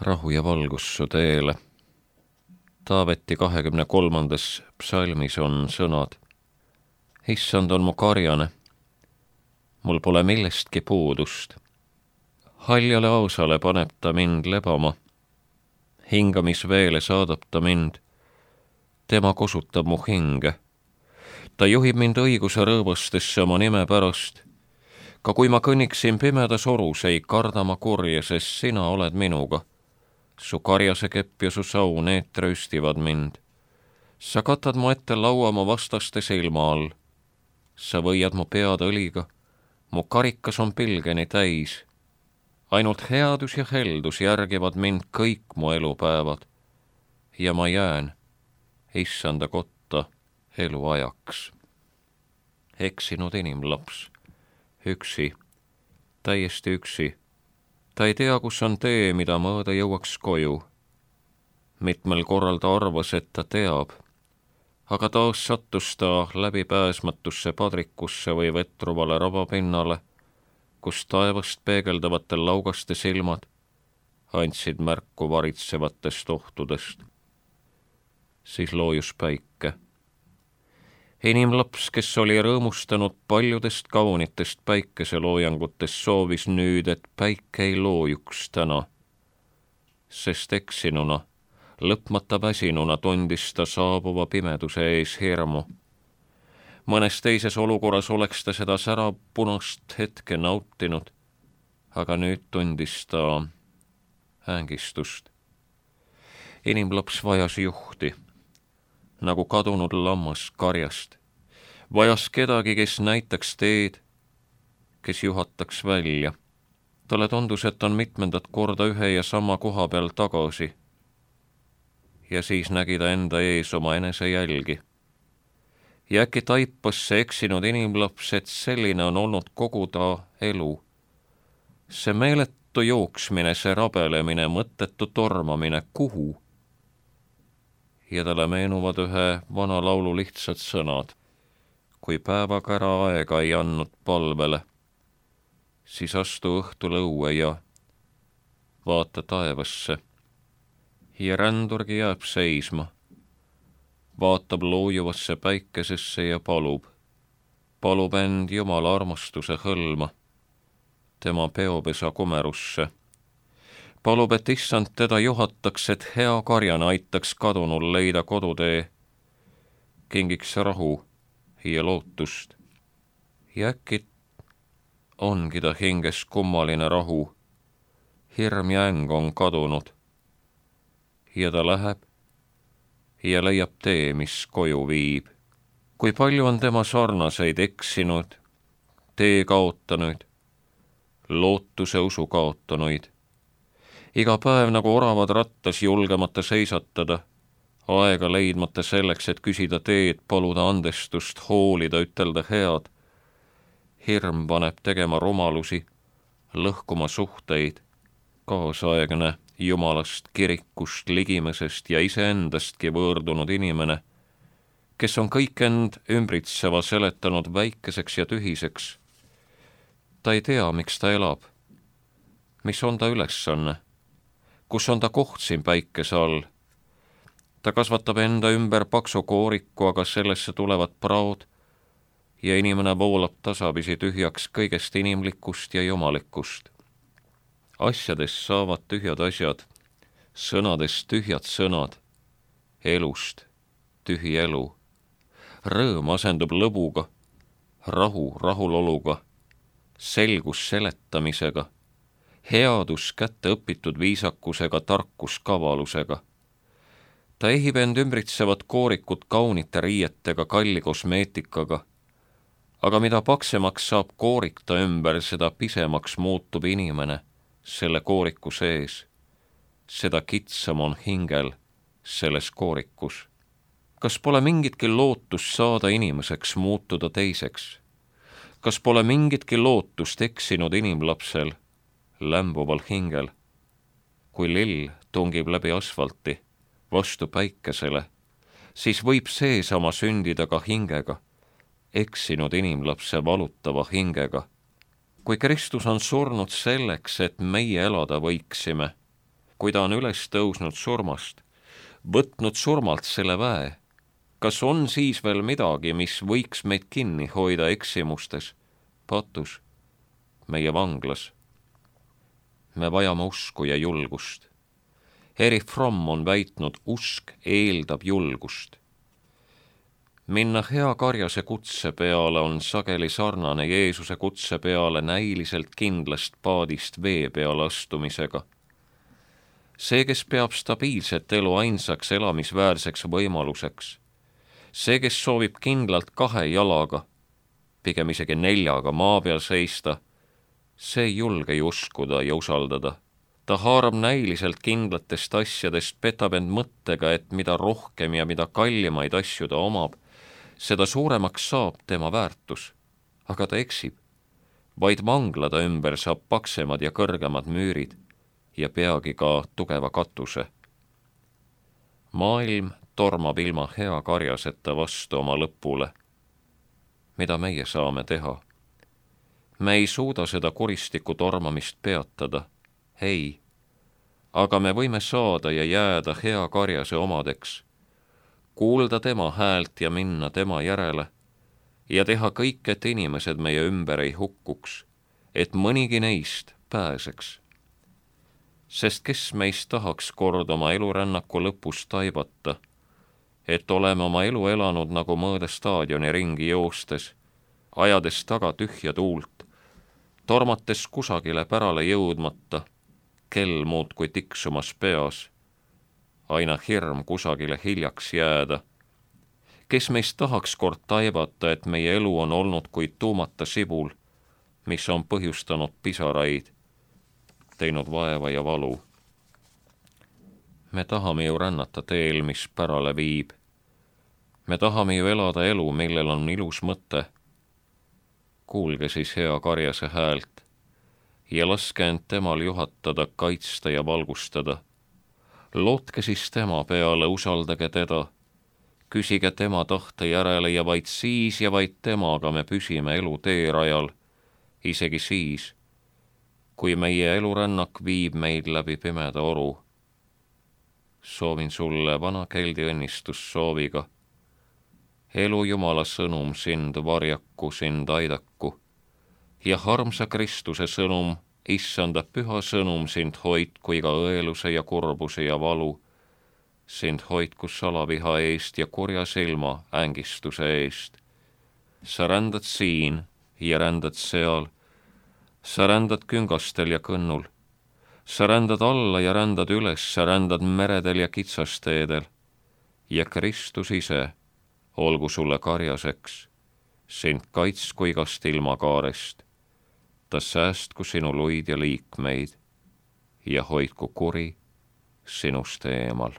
Rahu ja valgus su teele. Taaveti 23. psalmis on sõnad: Issand on mu karjane, mul pole millestki puudust. Haljale ausale paneb ta mind lebama, hingamisveele saadab ta mind, tema kosutab mu hinge. Ta juhib mind õiguse rõõbastesse oma nime pärast. Ka kui ma kõnniksin pimedas orus, ei karda ma kurja, sest sina oled minuga. Su karjase kepp ja su sau, need trööstivad mind. Sa katad mu ette laua mu vastaste silma all. Sa võiad mu pead õliga, mu karikas on pilgeni täis. Ainult headus ja heldus järgivad mind kõik mu elupäevad. Ja ma jään Issanda kotta eluajaks. Eksinud inimlaps, üksi, täiesti üksi. Ta ei tea, kus on tee, mida mööda jõuaks koju. Mitmel korral ta arvas, et ta teab, aga taas sattus ta läbipääsmatusse padrikusse või vetruvale rabapinnale, kus taevast peegeldavatel laugaste silmad andsid märku varitsevatest ohtudest. Siis loojus päike. Inimlaps, kes oli rõõmustanud paljudest kaunitest päikeseloojangutest, soovis nüüd, et päike ei loojuks täna, sest eksinuna, lõpmata väsinuna tundis ta saabuva pimeduse ees hirmu. Mõnes teises olukorras oleks ta seda särapunast hetke nautinud, aga nüüd tundis ta ängistust. Inimlaps vajas juhti, nagu kadunud lammas karjast. Vajas kedagi, kes näitaks teed, kes juhataks välja. Talle tundus, et on mitmendat korda ühe ja sama koha peal tagasi. Ja siis nägi ta enda ees oma enese jälgi. Ja äkki taipas see eksinud inimlaps, et selline on olnud kogu ta elu. See meeletu jooksmine, see rabelemine, mõttetu tormamine, kuhu? Ja talle meenuvad ühe vana laulu lihtsad sõnad. Kui päevaga ära aega ei andnud palvele, siis astu õhtul õue ja vaata taevasse. Ja rändurgi jääb seisma, vaatab loojuvasse päikesesse ja palub end Jumala armastuse hõlma, tema peopesa kumerusse. Palub, et Issand teda juhataks, et hea karjane aitaks kadunul leida kodutee, kingiks rahu ja lootust. Ja äkki ongi ta hinges kummaline rahu, hirm ja äng on kadunud. Ja ta läheb ja leiab tee, mis koju viib. Kui palju on tema sarnaseid eksinud, tee kaotanuid, lootuse usu kaotanuid. Iga päev nagu oravad rattas julgemata seisatada, aega leidmata selleks, et küsida teed, paluda andestust, hoolida, ütelda head. Hirm paneb tegema rumalusi, lõhkuma suhteid, kaasaegne Jumalast, kirikust, ligimesest ja iseendastki võõrdunud inimene, kes on kõik end ümbritseva seletanud väikeseks ja tühiseks. Ta ei tea, miks ta elab, mis on ta ülesanne. Kus on ta koht siin päikese all? Ta kasvatab enda ümber paksu kooriku, aga sellesse tulevad praod ja inimene voolab tasapisi tühjaks kõigest inimlikust ja jumalikust. Asjadest saavad tühjad asjad, sõnadest tühjad sõnad, elust tühi elu. Rõõm asendub lõbuga, rahu rahuloluga, selgus seletamisega, headus kätte õpitud viisakusega, tarkus kavalusega. Ta ehib end ümbritsevat koorikut kaunite riietega, kalli kosmeetikaga, aga mida paksemaks saab koorik ta ümber, seda pisemaks muutub inimene selle kooriku sees. Seda kitsam on hingel selles koorikus. Kas pole mingitki lootust saada inimeseks, muutuda teiseks? Kas pole mingitki lootust eksinud inimlapsel, lämbuval hingel? Kui lill tungib läbi asfalti vastu päikesele, siis võib seesama sündida ka hingega, eksinud inimlapse valutava hingega. Kui Kristus on surnud selleks, et meie elada võiksime, kui ta on üles tõusnud surmast, võtnud surmalt selle väe, kas on siis veel midagi, mis võiks meid kinni hoida eksimustes, patus, meie vanglas? Me vajame usku ja julgust. Erich Fromm on väitnud, usk eeldab julgust. Minna hea karjase kutse peale on sageli sarnane Jeesuse kutse peale näiliselt kindlast paadist vee peale astumisega. See, kes peab stabiilset elu ainsaks elamisväärseks võimaluseks, see, kes soovib kindlalt 2 jalaga, pigem isegi 4 maa peal seista, see ei julge uskuda ja usaldada. Ta haarab näiliselt kindlatest asjadest, petab end mõttega, et mida rohkem ja mida kallimaid asju ta omab, seda suuremaks saab tema väärtus. Aga ta eksib. Vaid vanglade ümber saab paksemad ja kõrgemad müürid ja peagi ka tugeva katuse. Maailm tormab ilma hea karjaseta vastu oma lõpule. Mida meie saame teha? Me ei suuda seda kuristiku tormamist peatada. Ei, aga me võime saada ja jääda hea karjase omadeks, kuulda tema häält ja minna tema järele ja teha kõik, et inimesed meie ümber ei hukkuks, et mõnigi neist pääseks. Sest kes meist tahaks kord oma elurännaku lõpus taibata, et oleme oma elu elanud nagu mõõde staadioni ringi joostes, ajades taga tühja tuult, tormates kusagile pärale jõudmata, kell muudkui tiksumas peas, aina hirm kusagile hiljaks jääda. Kes meist tahaks kord taibata, et meie elu on olnud kui tuumata sibul, mis on põhjustanud pisaraid, teinud vaeva ja valu. Me tahame ju rännata teel, mis pärale viib. Me tahame ju elada elu, millel on ilus mõte. Kuulge siis hea karjase häält ja laske end temal juhatada, kaitsta ja valgustada. Lootke siis tema peale, usaldage teda, küsige tema tahte järele ja vaid siis ja vaid temaga me püsime elu teerajal, isegi siis, kui meie elurännak viib meid läbi pimeda oru. Soovin sulle vana keldi õnnistussooviga. Elu Jumala sõnum sind varjaku, sind aidaku ja armsa Kristuse sõnum, issanda püha sõnum sind hoidku iga õeluse ja kurbuse ja valu, sind hoidku salaviha eest ja kurja silma ängistuse eest. Sa rändad siin ja rändad seal, sa rändad küngastel ja kõnnul, sa rändad alla ja rändad üles, sa rändad meredel ja kitsasteedel ja Kristus ise olgu sulle karjaseks, sind kaitsku igast ilmakaarest, ta säästku sinu luid ja liikmeid ja hoidku kuri sinust eemal.